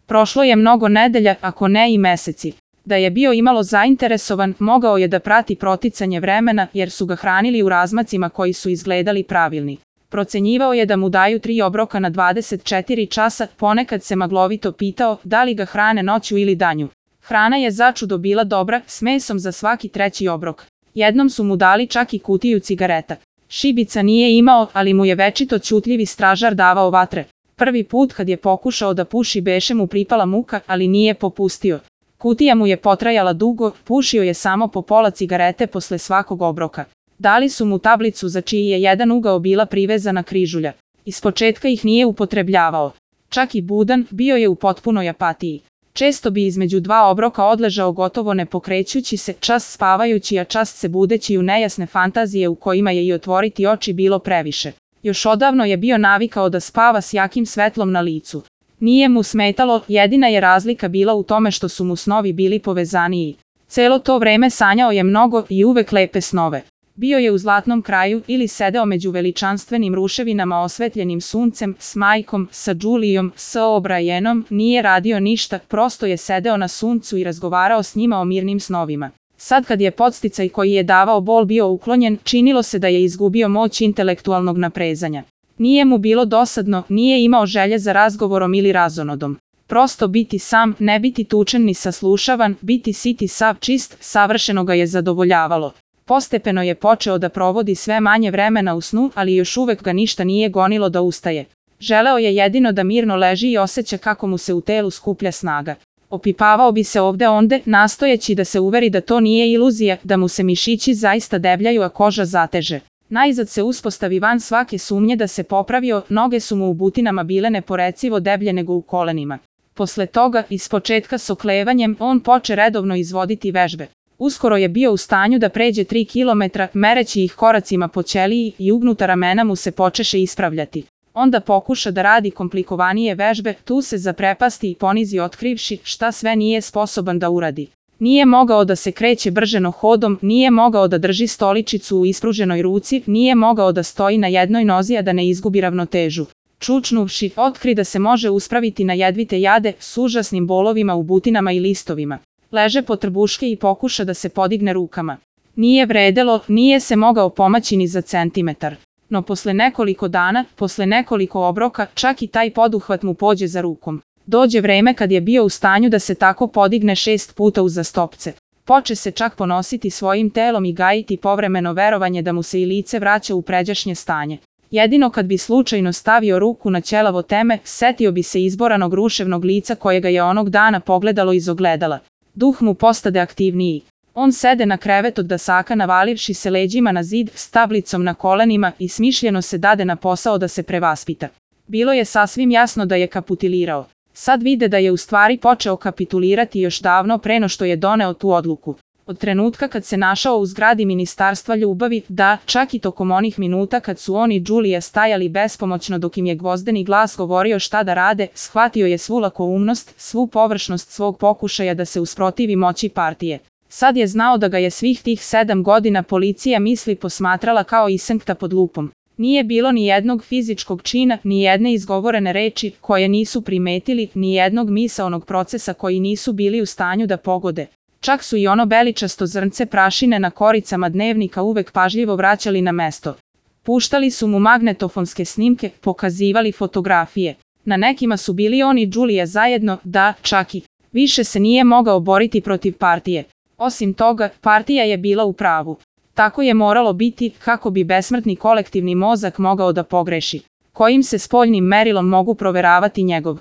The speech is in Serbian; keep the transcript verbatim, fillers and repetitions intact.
Prošlo je mnogo nedelja, ako ne i meseci. Da je bio imalo zainteresovan, mogao je da prati proticanje vremena, jer su ga hranili u razmacima koji su izgledali pravilni. Procenjivao je da mu daju tri obroka na dvadeset četiri časa, ponekad se maglovito pitao da li ga hrane noću ili danju. Hrana je začudo bila dobra, s mesom za svaki treći obrok. Jednom su mu dali čak i kutiju cigareta. Šibica nije imao, ali mu je večito ćutljivi stražar davao vatre. Prvi put kad je pokušao da puši beše mu pripala muka, ali nije popustio. Kutija mu je potrajala dugo, pušio je samo po pola cigarete posle svakog obroka. Dali su mu tablicu za čiji je jedan ugao bila privezana križulja. Ispočetka ih nije upotrebljavao. Čak i budan, bio je u potpunoj apatiji. Često bi između dva obroka odležao gotovo ne pokrećući se, čas spavajući, a čas se budeći u nejasne fantazije u kojima je i otvoriti oči bilo previše. Još odavno je bio navikao da spava s jakim svetlom na licu. Nije mu smetalo, jedina je razlika bila u tome što su mu snovi bili povezaniji. Celo to vreme sanjao je mnogo i uvek lepe snove. Bio je u zlatnom kraju ili sedeo među veličanstvenim ruševinama osvetljenim suncem, s majkom, sa Đulijom, s O'Brienom, nije radio ništa, prosto je sedeo na suncu i razgovarao s njima o mirnim snovima. Sad kad je podsticaj koji je davao bol bio uklonjen, činilo se da je izgubio moć intelektualnog naprezanja. Nije mu bilo dosadno, nije imao želje za razgovorom ili razonodom. Prosto biti sam, ne biti tučen ni saslušavan, biti sit i sav čist, savršeno ga je zadovoljavalo. Postepeno je počeo da provodi sve manje vremena u snu, ali još uvek ga ništa nije gonilo da ustaje. Želeo je jedino da mirno leži i osjeća kako mu se u telu skuplja snaga. Opipavao bi se ovde onde, nastojeći da se uveri da to nije iluzija, da mu se mišići zaista debljaju, a koža zateže. Najzad se uspostavi van svake sumnje da se popravio, noge su mu u butinama bile neporecivo deblje nego u kolenima. Posle toga, ispočetka s oklevanjem, on poče redovno izvoditi vežbe. Uskoro je bio u stanju da pređe tri kilometra, mereći ih koracima po ćeliji i ugnuta ramena mu se počeše ispravljati. Onda pokuša da radi komplikovanije vežbe, tu se zaprepasti i ponizi otkrivši šta sve nije sposoban da uradi. Nije mogao da se kreće brženo hodom, nije mogao da drži stoličicu u ispruženoj ruci, nije mogao da stoji na jednoj nozi a da ne izgubi ravnotežu. Čučnuvši, otkri da se može uspraviti na jedvite jade s užasnim bolovima u butinama i listovima. Leže po trbuške i pokuša da se podigne rukama. Nije vredelo, nije se mogao pomaći ni za centimetar. No posle nekoliko dana, posle nekoliko obroka, čak i taj poduhvat mu pođe za rukom. Dođe vreme kad je bio u stanju da se tako podigne šest puta uzastopce. Poče se čak ponositi svojim telom i gajiti povremeno verovanje da mu se i lice vraća u pređašnje stanje. Jedino kad bi slučajno stavio ruku na ćelavo teme, setio bi se izboranog ruševnog lica kojega je onog dana pogledalo iz ogledala. Duh mu postade aktivniji. On sede na krevet od dasaka navalivši se leđima na zid, s tablicom na kolenima i smišljeno se dade na posao da se prevaspita. Bilo je sasvim jasno da je kapitulirao. Sad vide da je u stvari počeo kapitulirati još davno pre no što je doneo tu odluku. Od trenutka kad se našao u zgradi Ministarstva ljubavi, da, čak i tokom onih minuta kad su on i Đulija stajali bespomoćno dok im je gvozdeni glas govorio šta da rade, shvatio je svu lakoumnost, svu površnost svog pokušaja da se usprotivi moći partije. Sad je znao da ga je svih tih sedam godina policija misli posmatrala kao isenkta pod lupom. Nije bilo ni jednog fizičkog čina, ni jedne izgovorene reči koje nisu primetili, ni jednog misaonog procesa koji nisu bili u stanju da pogode. Čak su i ono beličasto zrnce prašine na koricama dnevnika uvek pažljivo vraćali na mesto. Puštali su mu magnetofonske snimke, pokazivali fotografije. Na nekima su bili on i Đulija zajedno, da, čak i. Više se nije mogao boriti protiv partije. Osim toga, partija je bila u pravu. Tako je moralo biti, kako bi besmrtni kolektivni mozak mogao da pogreši. Kojim se spoljnim merilom mogu proveravati njegov